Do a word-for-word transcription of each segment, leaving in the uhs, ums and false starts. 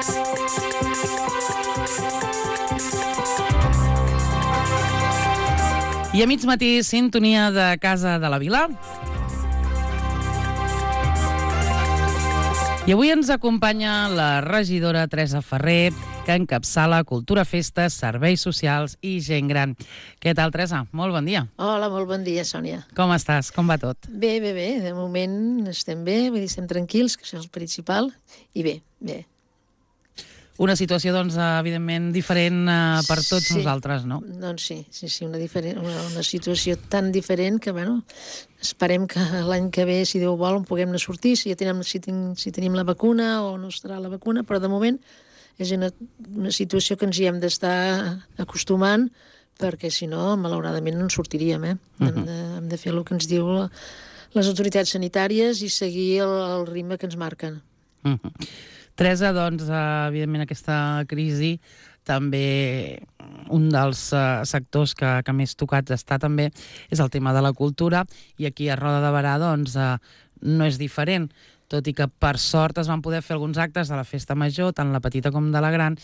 I a mig matí, sintonia de Casa de la Vila. I avui ens acompanya la regidora Teresa Ferrer, que encapçala Cultura, Festes, Serveis Socials i Gent Gran. Què tal, Teresa? Molt bon dia. Hola, molt bon dia, Sònia. Com estàs? Com va tot? Bé, bé, bé. De moment estem bé, vull dir, estem tranquils, que això és el principal, i bé, bé. Una situació, doncs, evidentment, diferent eh, per tots sí. nosaltres, no? Doncs sí, sí, sí, una, diferent, una, una situació tan diferent que, bueno, esperem que l'any que ve, si Déu vol, en puguem anar a sortir, si, ja tenim, si, ten, si tenim la vacuna o no estarà la vacuna, però de moment és una, una situació que ens hi hem d'estar acostumant, perquè si no, malauradament, no en sortiríem, eh? Uh-huh. hem, de, hem de fer el que ens diu la, les autoritats sanitàries i seguir el, el ritme que ens marquen. Uh-huh. Teresa, doncs, evidentment, aquesta crisi també un dels uh, sectors que, que més tocats està també és el tema de la cultura, i aquí a Roda de Berà doncs, uh, no és diferent, tot i que per sort es van poder fer alguns actes de la festa major, tant la petita com de la gran,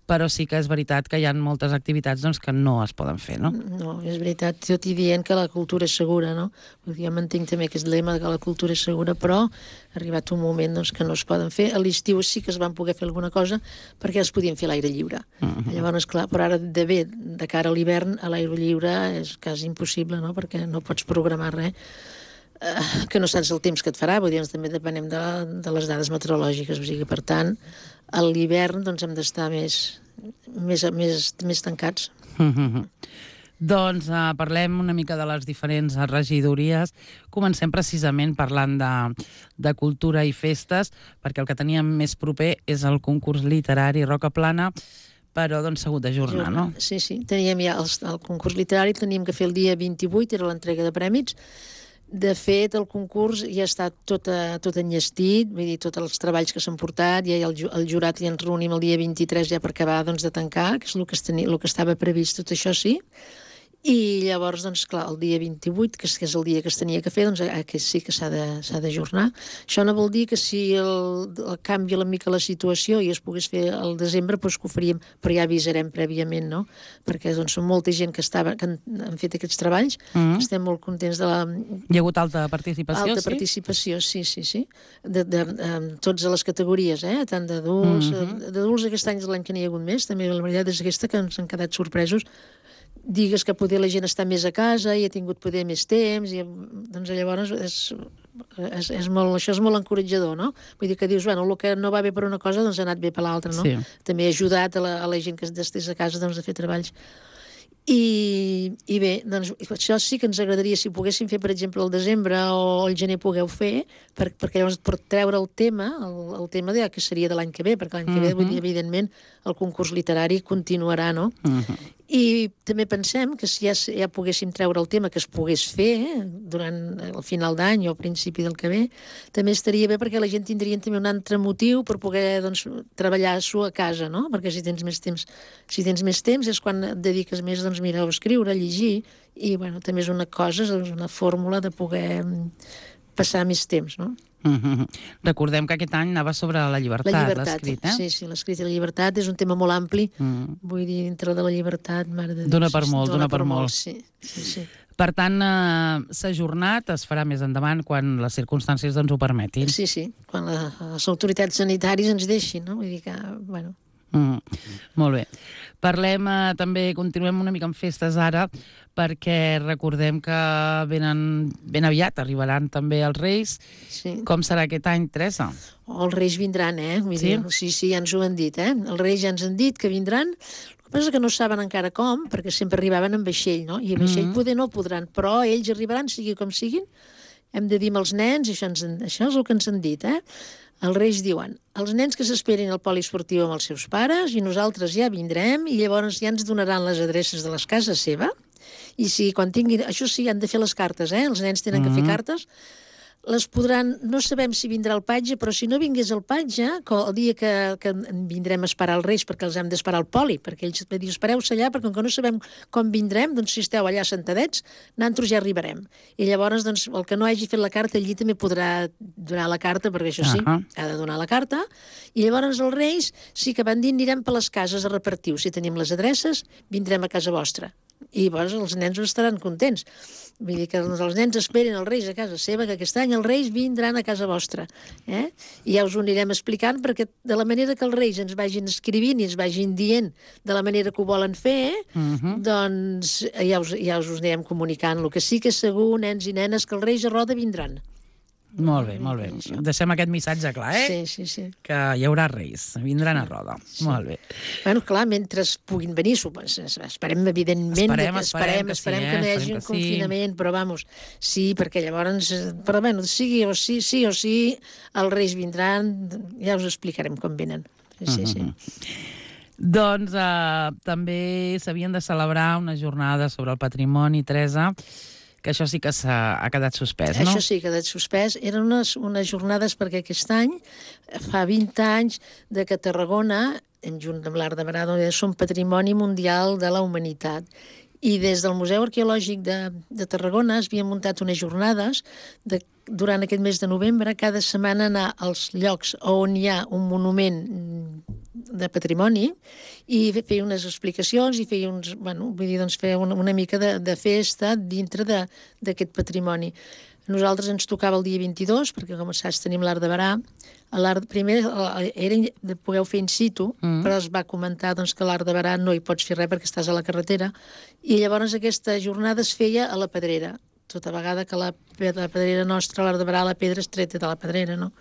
però sí que és veritat que hi ha moltes activitats doncs, que no es poden fer, no? No, és veritat, tot i dient que la cultura és segura, no? Jo mantinc també aquest lema que la cultura és segura, però ha arribat un moment doncs, que no es poden fer. A l'estiu sí que es van poder fer alguna cosa perquè es podien fer a l'aire lliure. Uh-huh. Llavors, clar, però ara de bé, de cara a l'hivern, a l'aire lliure és quasi impossible, no? Perquè no pots programar res. Uh, que no saps el temps que et farà, vull dir, doncs, també depenem de, de les dades meteorològiques, o sigui, per tant, a l'hivern doncs, hem d'estar més, més, més, més tancats. Mm-hmm. Doncs uh, parlem una mica de les diferents regidories. Comencem precisament parlant de, de cultura i festes, perquè el que teníem més proper és el concurs literari Roca Plana, però doncs s'ha hagut d'ajornar, no? Sí, sí, teníem ja el, el concurs literari, teníem que fer el dia vint-i-vuit, era l'entrega de prèmits. De fet, el concurs ja està tot, a, tot enllestit, vull dir, tots els treballs que s'han portat, ja el, el jurat ja ens reunim el dia vint-i-tres ja per acabar doncs, de tancar, que és el que, tenia, el que estava previst, tot això sí. I llavors, doncs, clar, el dia vint-i-vuit, que és el dia que es tenia que fer, doncs que sí que s'ha d'ajornar. Això no vol dir que si el, el canvia una mica la situació i es pogués fer al desembre, doncs que ho faríem, però ja avisarem prèviament, no? Perquè doncs, són molta gent que, estava, que han, han fet aquests treballs, mm-hmm. Estem molt contents de la... Hi ha hagut alta participació, alta sí? participació, sí, sí, sí. De, de, de, de tots a les categories, eh? Tant d'adults, mm-hmm. d'adults aquest any és l'any que n'hi ha hagut més, també la veritat és aquesta que ens han quedat sorpresos. Digues que poder la gent està més a casa i ha tingut poder més temps, i doncs llavors és, és, és molt, això és molt encoratjador, no? Vull dir que dius, bueno, el que no va bé per una cosa doncs ha anat bé per l'altra, no? Sí. També ha ajudat a la, a la gent que estés a casa doncs, a fer treballs. I, i bé, doncs això sí que ens agradaria si poguéssim fer, per exemple, el desembre o el gener pugueu fer, per, perquè llavors per treure el tema, el, el tema de, que seria de l'any que ve, perquè l'any que ve, uh-huh. Vull dir, evidentment, el concurs literari continuarà, no? Uh-huh. I també pensem que si ja, ja poguéssim treure el tema que es pogués fer eh, durant el final d'any o al principi del que ve, també estaria bé perquè la gent tindria també un altre motiu per poder doncs, treballar-s'ho a casa, no? Perquè si tens més temps, si tens més temps és quan et dediques més doncs, mira, a escriure, a llegir, i bueno, també és una cosa, és una fórmula de poder passar més temps, no? Mm-hmm. Recordem que aquest any anava sobre la llibertat, la llibertat l'escrit, eh? Sí, sí, l'escrit i la llibertat és un tema molt ampli, mm. Vull dir, dintre de la llibertat, mare de Déu. Dóna per molt, dóna per molt. Sí, sí, sí. Per tant, eh, s'ha ajornat, es farà més endavant quan les circumstàncies doncs, ho permetin. Sí, sí, quan la, les autoritats sanitàries ens deixin, no? Vull dir que, bueno... Mm, molt bé. Parlem eh, també, continuem una mica amb festes ara, perquè recordem que venen, ben aviat arribaran també els Reis. Sí. Com serà aquest any, Teresa? Oh, els Reis vindran, eh? Vull sí? Dir, sí, sí, ja ens ho han dit, eh? Els Reis ja ens han dit que vindran. El que passa és que no saben encara com, perquè sempre arribaven en vaixell, no? I en vaixell mm-hmm. poder no podran, però ells arribaran, sigui com siguin. Hem de dir als nens, i això, ens, això és el que ens han dit, eh? Els Reis diuen, els nens que s'esperin al poliesportiu amb els seus pares i nosaltres ja vindrem i llavors ja ens donaran les adreces de les cases seva i si quan tinguin... Això sí, han de fer les cartes, eh? Els nens tenen mm-hmm. que fer cartes. les podran... No sabem si vindrà el patge, però si no vingués el patge, el dia que, que vindrem a esperar els Reis, perquè els hem d'esperar al poli, perquè ells me diuen, espereu-se allà, perquè com que no sabem com vindrem, doncs si esteu allà sentadets, nosaltres ja arribarem. I llavors, doncs, el que no hagi fet la carta, allí també podrà donar la carta, perquè això sí, uh-huh. ha de donar la carta. I llavors els Reis sí que van dir, anirem per les cases a repartir. Si tenim les adreces, vindrem a casa vostra. I llavors els nens estaran contents. Vull dir que els nens esperen els Reis a casa seva, que aquest any els Reis vindran a casa vostra. Eh? I ja us ho anirem explicant, perquè de la manera que els Reis ens vagin escrivint i ens vagin dient de la manera que ho volen fer, uh-huh. doncs ja us, ja us ho anirem comunicant. El que sí que és segur, nens i nenes, que els Reis a Roda vindran. Molt bé, molt bé. Deixem aquest missatge clar, eh? Sí, sí, sí. Que hi haurà Reis, vindran a Roda. Sí. Molt bé. Bueno, clar, mentre puguin venir, esperem, evidentment, esperem, que, esperem, esperem, que, esperem sí, que no hi eh? hagi un sí. confinament, però vamos, sí, perquè llavors, però bueno, sigui o sí, sí o sí, els Reis vindran, ja us explicarem com venen. Sí, sí, sí. Uh-huh. Doncs eh, també s'havien de celebrar una jornada sobre el patrimoni, Teresa, que això sí que s'ha ha quedat suspès, no? Això sí que ha quedat suspès. Eren unes, unes jornades perquè aquest any, fa vint anys, de que Tarragona, en junt amb l'Arc de Berà, són patrimoni mundial de la humanitat. I des del Museu Arqueològic de, de Tarragona es havien muntat unes jornades de, durant aquest mes de novembre, cada setmana anar als llocs on hi ha un monument de patrimoni i feia unes explicacions i feia uns, bueno, vull dir, doncs feia una, una mica de, de festa dintre d'aquest patrimoni. Nosaltres ens tocava el dia vint-i-dos, perquè com saps tenim l'Arc de Berà. L'art, primer era de poder fer in situ, mm. però es va comentar doncs, que l'Arc de Berà no hi pots fer res perquè estàs a la carretera, i llavors aquesta jornada es feia a la Pedrera, tota vegada que la, la Pedrera nostra, l'Arc de Berà, la pedra es treta de la Pedrera, no?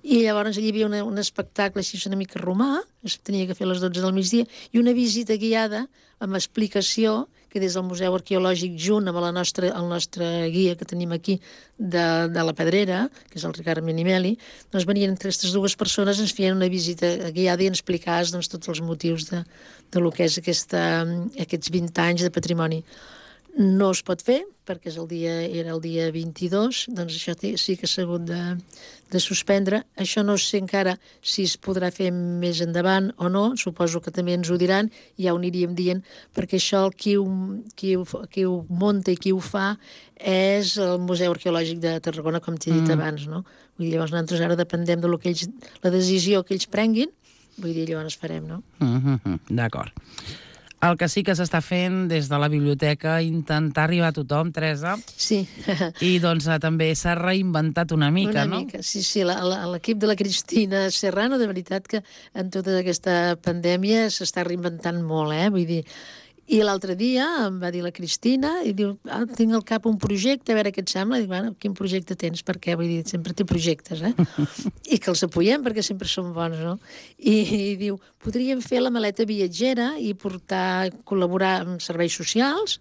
I llavors allà hi havia una, un espectacle així una mica romà, es tenia que fer a les dotze del migdia, i una visita guiada amb explicació que des del Museu Arqueològic, junt amb la nostra, el nostre guia que tenim aquí de, de la Pedrera, que és el Ricard Menimeli, doncs venien entre aquestes dues persones, ens feien una visita guiada i ens explicaven doncs, tots els motius de, de lo que és aquesta, aquests vint anys de patrimoni. No es pot fer, perquè és el dia, era el dia vint-i-dos, doncs això sí que s'ha hagut de, de suspendre. Això no sé encara si es podrà fer més endavant o no, suposo que també ens ho diran, i ja ho aniríem dient, perquè això el qui ho, qui ho, qui ho munta i qui ho fa és el Museu Arqueològic de Tarragona, com t'he dit mm. abans, no? Vull dir, llavors nosaltres ara dependem de lo que ells, la decisió que ells prenguin, vull dir, llavors farem, no? Mm-hmm. D'acord. El que sí que s'està fent des de la biblioteca, intentar arribar a tothom, Teresa. Sí. I doncs també s'ha reinventat una mica, una no? Una mica, sí, sí. L'equip de la Cristina Serrano, de veritat que en tota aquesta pandèmia s'està reinventant molt, eh? Vull dir, i l'altre dia em va dir la Cristina i diu, ah, tinc al cap un projecte, a veure què et sembla. I dic, bueno, quin projecte tens? Perquè, vull dir, sempre té projectes, eh? I que els apoyem perquè sempre són bons, no? I, i diu, podríem fer la maleta viatgera i portar, col·laborar amb serveis socials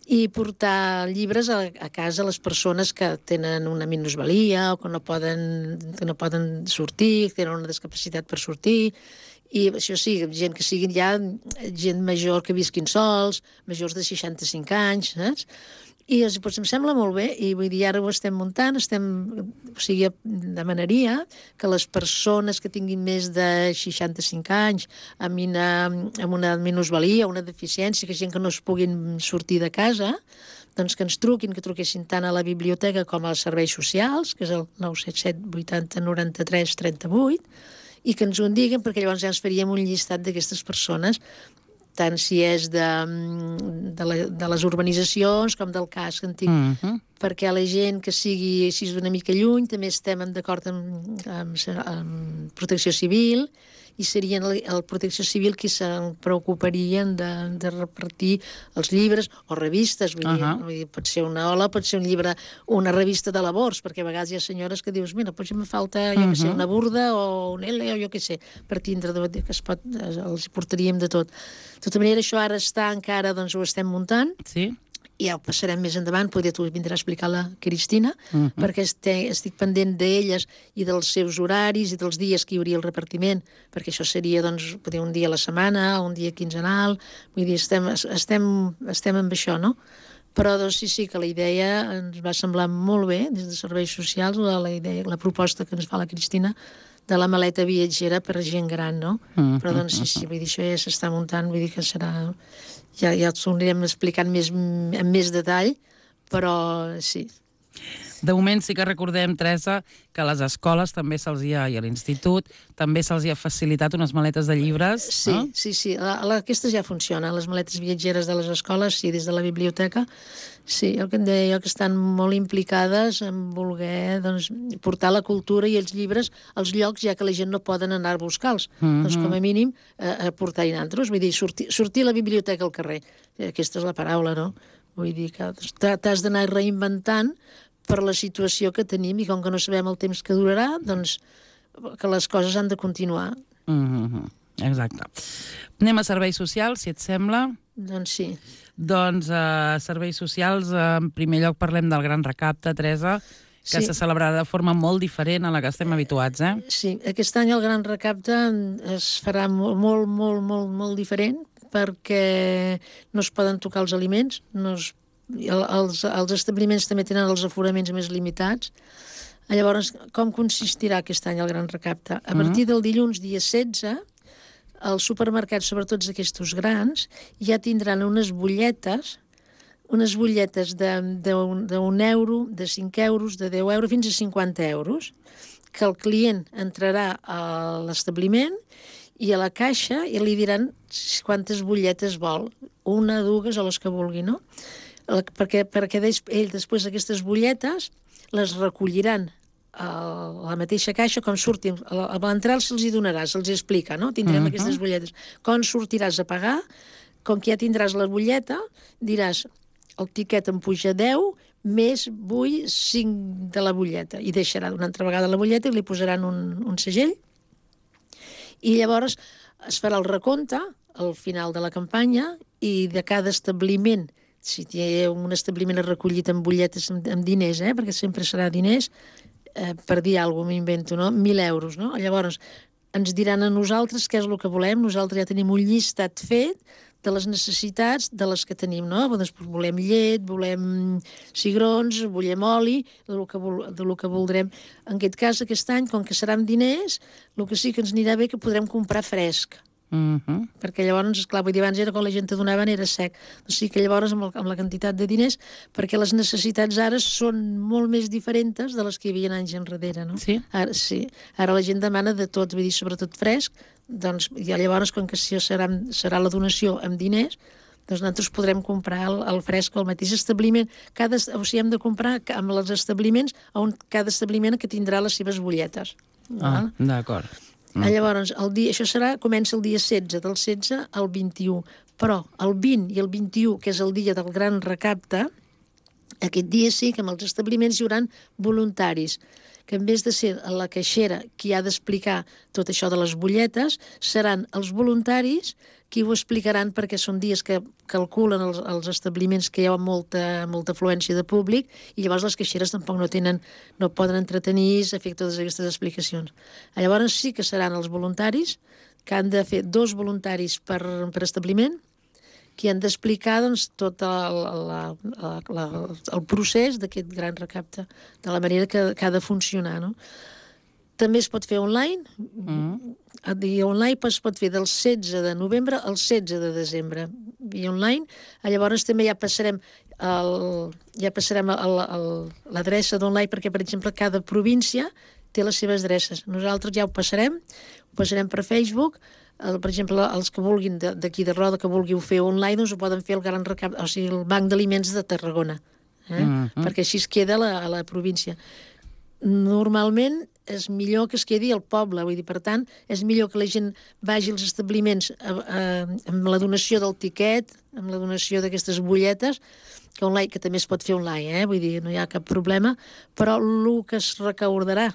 i portar llibres a, a casa a les persones que tenen una minusvalia o que no poden, que no poden sortir, que tenen una discapacitat per sortir. I això sí, gent que siguin ja gent major que visquin sols, majors de seixanta-cinc anys, saps? I doncs, em sembla molt bé, i vull dir, ara ho estem muntant, estem, o sigui, demanaria que les persones que tinguin més de seixanta-cinc anys, amb una, amb una minusvalia, una deficiència, que gent que no es puguin sortir de casa, doncs que ens truquin, que truquessin tant a la biblioteca com als serveis socials, que és el nou set set vuitanta noranta-tres trenta-vuit, i que ens ho diguin, perquè llavors ja ens faríem un llistat d'aquestes persones, tant si és de, de, la, de les urbanitzacions com del casc antic, mm-hmm. perquè la gent que sigui així d'una mica lluny també estem d'acord amb, amb, amb Protecció Civil, i serien el, el Protecció Civil qui se'n preocuparien de, de repartir els llibres o revistes, vull, uh-huh. dir, vull dir, pot ser una ola, pot ser un llibre, una revista de labors, perquè a vegades hi ha senyores que dius, mira, potser me falta, jo uh-huh. que sé, una burda o un L o jo que sé, per tindre de, que es pot, els portaríem de tot. De tota manera, això ara està encara, doncs ho estem muntant. Sí. I ja ho passarem més endavant, potser tu vindràs a explicar la Cristina, uh-huh. perquè estic, estic pendent d'elles i dels seus horaris i dels dies que hi hauria el repartiment, perquè això seria, doncs, potser un dia a la setmana, un dia quinzenal, vull dir, estem, estem, estem amb això, no? Però doncs, sí, sí, que la idea ens va semblar molt bé, des de Serveis Socials, la, la, idea, la proposta que ens fa la Cristina de la maleta viatgera per gent gran, no? Mm. Però doncs sí, sí, vull dir, això ja s'està muntant, vull dir que serà... Ja, ja t'ho anirem explicant més, amb més detall, però sí. De moment sí que recordem, Teresa, que a les escoles també se'ls ha, i a l'institut, també se'ls ha facilitat unes maletes de llibres. Sí, no? sí, sí. La, la, aquestes ja funcionen, les maletes viatgeres de les escoles, sí, des de la biblioteca. Sí, el que em deia jo, que estan molt implicades en voler doncs, portar la cultura i els llibres als llocs, ja que la gent no poden anar a buscar-los. Mm-hmm. Doncs com a mínim eh, a portar-hi nantros, vull dir, sortir, sortir a la biblioteca al carrer. Aquesta és la paraula, no? Vull dir que t'has d'anar reinventant per la situació que tenim i com que no sabem el temps que durarà, doncs que les coses han de continuar. Mm-hmm. Exacte. Anem a serveis socials, si et sembla. Doncs sí. Doncs a uh, serveis socials, uh, en primer lloc parlem del Gran Recapte, Teresa, que sí. se celebrarà de forma molt diferent a la que estem habituats, eh? Sí, aquest any el Gran Recapte es farà molt, molt, molt, molt, molt diferent perquè no es poden tocar els aliments, no es, els, els establiments també tenen els aforaments més limitats. Llavors, com consistirà aquest any el Gran Recapte? A partir del dilluns, dia setze, els supermercats, sobretot aquests grans, ja tindran unes butlletes, unes butlletes d'un euro, de cinc euros, de deu euros, fins a cinquanta euros, que el client entrarà a l'establiment i a la caixa i li diran quantes butlletes vol, una, dues o les que vulgui, no? Perquè, perquè ell després aquestes butlletes les recolliran a la mateixa caixa, com surtin, a l'entrar se'ls hi donarà, se'ls explica, no? Tindrem uh-huh. aquestes butlletes. Quan sortiràs a pagar, com que ja tindràs la butlleta, diràs, el tiquet em puja deu, més vull cinc de la butlleta, i deixarà una altra vegada la butlleta i li posaran un, un segell, i llavors es farà el recompte al final de la campanya i de cada establiment, si hi ha un establiment recollit amb butlletes amb, amb diners, eh, perquè sempre serà diners, eh, per dir alguna cosa, m'invento, no? mil euros, no? Llavors ens diran a nosaltres què és el que volem, nosaltres ja tenim un llistat fet de les necessitats de les que tenim, no? Doncs volem llet, volem cigrons, volem oli, del que, vol, del que voldrem. En aquest cas, aquest any, com que serà amb diners, el que sí que ens anirà bé que podrem comprar fresc. Uh-huh. Perquè llavors, esclar, vull dir, abans era quan la gent te donaven era sec. O sigui que llavors, amb, el, amb la quantitat de diners, perquè les necessitats ara són molt més diferents de les que hi havia anys enrere, no? Sí? Ara, sí. Ara la gent demana de tot, vull dir, sobretot fresc, doncs ja llavors, com que això serà, serà la donació amb diners, doncs nosaltres podrem comprar el, el fresc al mateix establiment. Cada, o sigui, hem de comprar amb els establiments, on cada establiment que tindrà les seves butlletes. Ah, d'acord. Mm. Llavors, el dia, això serà, comença el dia setze, del setze al vint-i-u. Però el vint i el vint-i-u, que és el dia del Gran Recapte, aquest dia sí que amb els establiments hi haurà voluntaris, que en vez de ser la caixera qui ha d'explicar tot això de les butlletes, seran els voluntaris qui ho explicaran, perquè són dies que calculen els, els establiments que hi ha molta, molta afluència de públic, i llavors les caixeres tampoc no tenen, no poden entretenir-se a fer totes aquestes explicacions. Llavors sí que seran els voluntaris, que han de fer dos voluntaris per, per establiment, que han d'explicar doncs, tot el, la, la, la, el procés d'aquest Gran Recapte, de la manera que, que ha de funcionar, no? També es pot fer online, mm. i online es pot fer del setze de novembre al setze de desembre, i online. Llavors també ja passarem el, ja passarem l'adreça d'online, perquè, per exemple, cada província té les seves adreces. Nosaltres ja ho passarem, ho passarem per Facebook. El, per exemple, els que vulguin d'aquí de Roda, que vulguin fer online, doncs ho poden fer el Gran Recapte, o sigui, el Banc d'Aliments de Tarragona, eh? Mm-hmm. Perquè així es queda a la, a la província. Normalment és millor que es quedi al poble, vull dir, per tant, és millor que la gent vagi als establiments a, a, amb la donació del tiquet, amb la donació d'aquestes butlletes, que online, que també es pot fer online, eh? Vull dir, no hi ha cap problema, però el que es recaudarà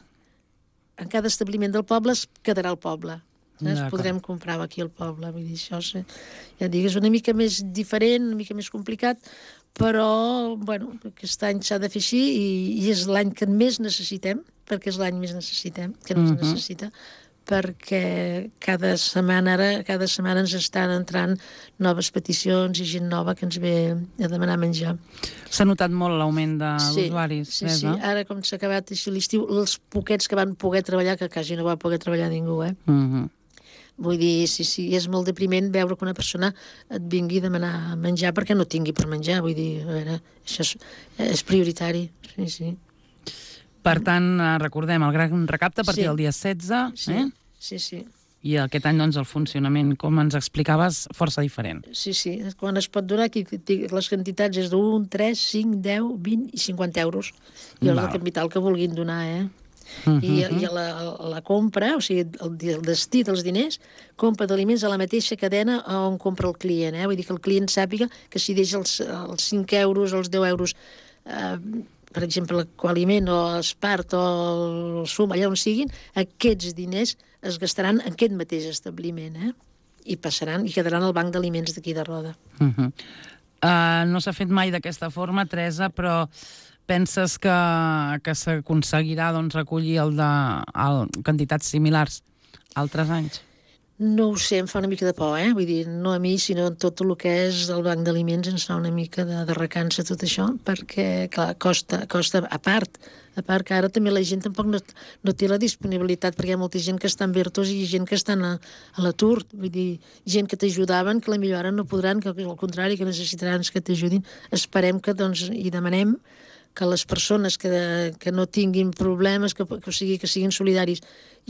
en cada establiment del poble es quedarà al poble. Es podrem comprar aquí al poble, vull dir, això sí. Ja et dic, és una mica més diferent, una mica més complicat, però, bueno, aquest any s'ha de fer així i, i és l'any que més necessitem, perquè és l'any més necessitem, que més uh-huh. necessita, perquè cada setmana ara, cada setmana ens estan entrant noves peticions i gent nova que ens ve a demanar menjar. S'ha notat molt l'augment d'usuaris, sí, sí, sí. Ara, com s'ha acabat així l'estiu, els poquets que van poder treballar, que quasi no va poder treballar ningú, eh? Uh -huh. Vull dir, sí, sí, és molt depriment veure que una persona et vingui a demanar menjar perquè no tingui per menjar. Vull dir, a veure, això és, és prioritari, sí, sí. Per tant, recordem, el gran recapte a partir sí. del dia setze, sí, eh? Sí, sí. I aquest any, doncs, el funcionament, com ens explicaves, força diferent. Sí, sí. Quan es pot donar, aquí les quantitats és d'un, tres, cinc, deu, vint i cinquanta euros. I el capital que vulguin donar, eh? Uh -huh. I, i a, la, a la compra, o sigui, el, el destí dels diners, compra d'aliments a la mateixa cadena on compra el client, eh? Vull dir que el client sàpiga que si deixa els, els cinc euros, els deu euros, eh, per exemple, Qualiment o Espart o el Sum, allà on siguin, aquests diners es gastaran en aquest mateix establiment, eh? I passaran, i quedaran al banc d'aliments d'aquí de Roda. Uh -huh. uh, no s'ha fet mai d'aquesta forma, Teresa, però penses que, que s'aconseguirà doncs, recollir el de, el, quantitats similars altres anys? No ho sé, em fa una mica de por, eh? Vull dir, no a mi, sinó en tot el que és el banc d'aliments ens fa una mica de, de recança tot això, perquè, clar, costa, costa a part, a part que ara també la gent tampoc no, no té la disponibilitat, perquè hi ha molta gent que està en Bertos i gent que estan a, a l'atur, vull dir, gent que t'ajudaven, que la millor ara no podran, que al contrari, que necessitaran que t'ajudin. Esperem que, doncs, i demanem que les persones que, que no tinguin problemes, que, que, o sigui, que siguin solidaris.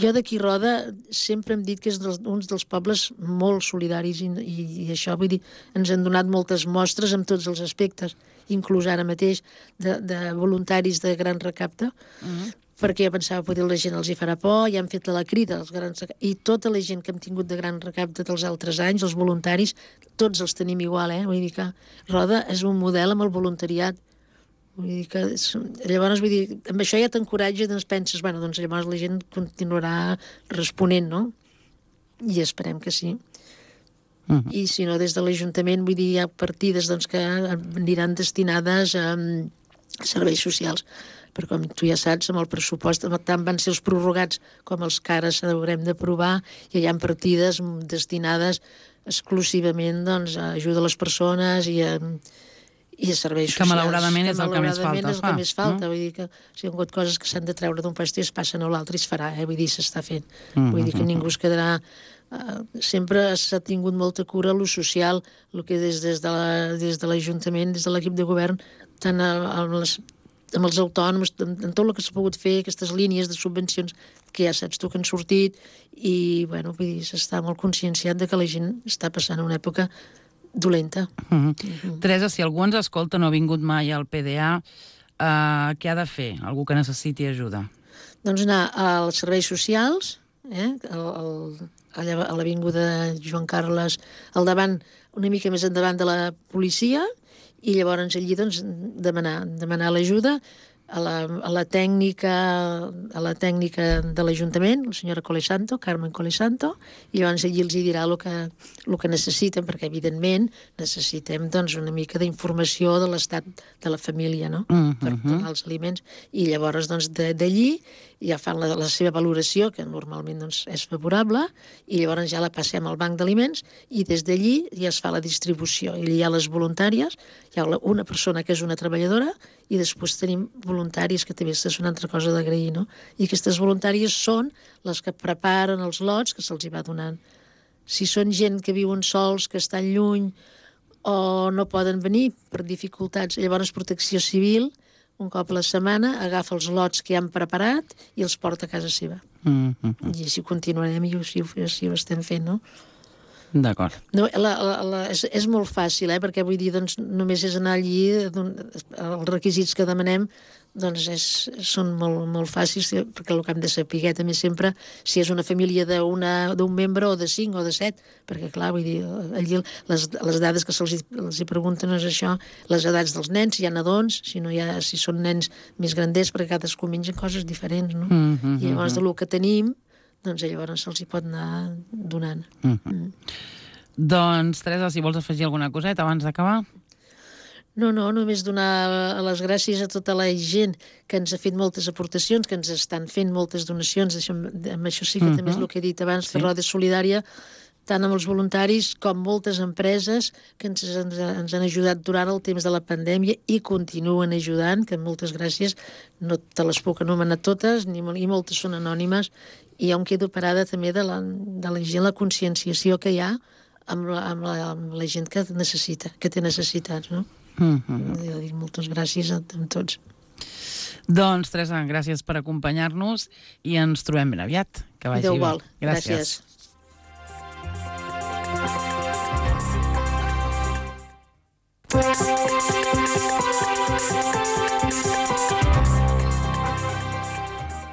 Jo d'aquí Roda sempre hem dit que és dels, uns dels pobles molt solidaris i, i, i això, vull dir, ens han donat moltes mostres en tots els aspectes, inclús ara mateix de, de voluntaris de gran recapte, uh-huh. perquè jo pensava que la gent els hi farà por, i han fet la crida als grans recaptes, i tota la gent que hem tingut de gran recapte dels altres anys, els voluntaris, tots els tenim igual, eh? Vull dir que Roda és un model amb el voluntariat. Vull dir que, llavors, vull dir, amb això ja t'encoratja, doncs penses, bueno, doncs llavors la gent continuarà responent, no? I esperem que sí. Uh-huh. I si no, des de l'Ajuntament, vull dir, hi ha partides doncs, que aniran destinades a, a serveis socials. Però com tu ja saps, amb el pressupost, tant van ser els prorrogats com els que ara s'haurem d'aprovar, i hi ha partides destinades exclusivament doncs, a ajuda a les persones i a i a serveis socials. Que malauradament és el que més falta. és el que més falta. Vull dir que si hi ha hagut coses que s'han de treure d'un lloc i es passen a l'altre i es farà, eh? Vull dir, s'està fent. Mm-hmm. Vull dir que ningú es quedarà... Uh, sempre s'ha tingut molta cura a lo social, el que des, des de l'Ajuntament, des de l'equip de govern, tant a, a les, amb els autònoms, en, en tot el que s'ha pogut fer, aquestes línies de subvencions que ja saps tu que han sortit, i, bueno, vull dir, s'està molt conscienciat de que la gent està passant una època dolenta. Uh -huh. Uh -huh. Teresa, si algú ens escolta, no ha vingut mai al P D A, uh, què ha de fer? Algú que necessiti ajuda? Doncs anar als serveis socials, eh? el, el, a l'avinguda Joan Carles, al davant, una mica més endavant de la policia, i llavors allí doncs, demanar, demanar l'ajuda a la, a la tècnica a la tècnica de l'Ajuntament, la senyora Colesanto, Carmen Colesanto, i llavors allí els hi dirà el que, el que necessiten, perquè evidentment necessitem doncs, una mica d'informació de l'estat de la família, no? Uh-huh. Per donar els aliments, i llavors doncs, d'allí ja fan la, la seva valoració, que normalment doncs, és favorable, i llavors ja la passem al banc d'aliments, i des d'allí ja es fa la distribució. I hi ha les voluntàries, hi ha una persona que és una treballadora, i després tenim voluntaris, que també és una altra cosa d'agrair, no? I aquestes voluntàries són les que preparen els lots que se'ls hi va donant. Si són gent que viuen sols, que estan lluny, o no poden venir per dificultats, llavors Protecció Civil, un cop a la setmana, agafa els lots que han preparat i els porta a casa seva. Mm-hmm. I així continuarem, i així, així ho estem fent, no? D'acord. No, la, la, la, és, és molt fàcil, eh? Perquè vull dir, doncs, només és anar allí, els requisits que demanem doncs és, són molt, molt fàcils, perquè el que hem de saber també sempre si és una família d'un membre o de cinc o de set, perquè clar, vull dir, allí les, les dades que se'ls hi pregunten és això, les edats dels nens, si hi ha nadons, si, no hi ha, si són nens més granders, perquè cadascú menja coses diferents, no? Mm-hmm. I llavors del que tenim, doncs llavors se'ls hi pot anar donant. Mm-hmm. Mm. Doncs, Teresa, si vols afegir alguna coseta abans d'acabar. No, no, només donar les gràcies a tota la gent que ens ha fet moltes aportacions, que ens estan fent moltes donacions, això, amb això sí que uh -huh. també és el que he dit abans, sí. de Roda Solidària, tant amb els voluntaris com moltes empreses que ens, ens, ens han ajudat durant el temps de la pandèmia i continuen ajudant, que moltes gràcies, no te les puc anomenar totes, ni, i moltes són anònimes, i jo em quedo parada també de la, de la gent, la conscienciació que hi ha amb la, amb la, amb la gent que necessita, que té necessitats, no? Mm -hmm. Jo dic moltes gràcies a, a tots. Doncs, Teresa, gràcies per acompanyar-nos i ens trobem ben aviat. Que vagi bé. Gràcies. gràcies.